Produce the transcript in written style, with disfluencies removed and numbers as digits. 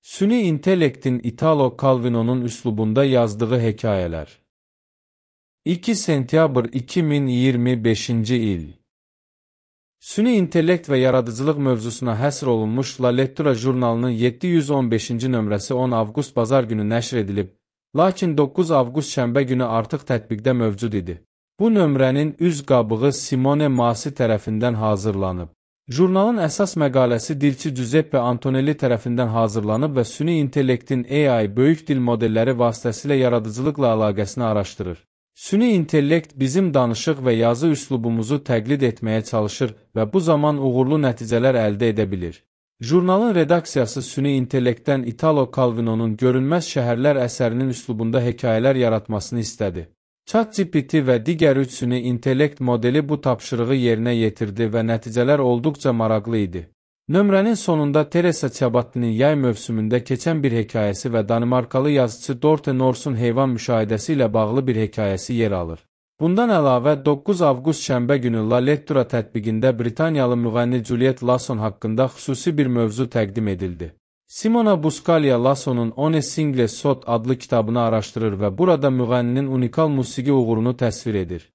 Süni intellektin Italo Calvino'nun üslubunda yazdığı hekayeler. 2 sentyabr 2025-ci il. Süni intellekt və yaradıcılıq mövzusuna həsr olunmuş La Lettura jurnalının 715-ci nömrəsi 10 avqust bazar günü nəşr edilib, lakin 9 avqust şənbə günü artıq tətbiqdə mövcud idi. Bu nömrənin üz qabığı Simone Masi tərəfindən hazırlanıb. Jurnalın əsas məqaləsi dilçi Giuseppe Antonelli tərəfindən hazırlanıb və süni intellektin AI böyük dil modelləri vasitəsilə yaradıcılıqla əlaqəsini araşdırır. Süni intellekt bizim danışıq və yazı üslubumuzu təqlid etməyə çalışır və bu zaman uğurlu nəticələr əldə edə bilir. Jurnalın redaksiyası süni intellektdən Italo Calvino'nun Görünməz Şəhərlər əsərinin üslubunda hekayələr yaratmasını istədi. ChatGPT və digər 3 süni intellekt modeli bu tapşırığı yerinə yetirdi və nəticələr olduqca maraqlı idi. Nömrənin sonunda Teresa Ciabatti'nin yay mövsümündə keçən bir hekayəsi və Danimarkalı yazıcı Dorte Norsun heyvan müşahidəsi ilə bağlı bir hekayəsi yer alır. Bundan əlavə 9 avqust şənbə günü La Lettura tətbiqində Britaniyalı müğənni Juliet Lawson haqqında xüsusi bir mövzu təqdim edildi. Simona Buscaglia Lawson'un One Single Shot adlı kitabını araşdırır və burada müğənninin unikal musiqi uğurunu təsvir edir.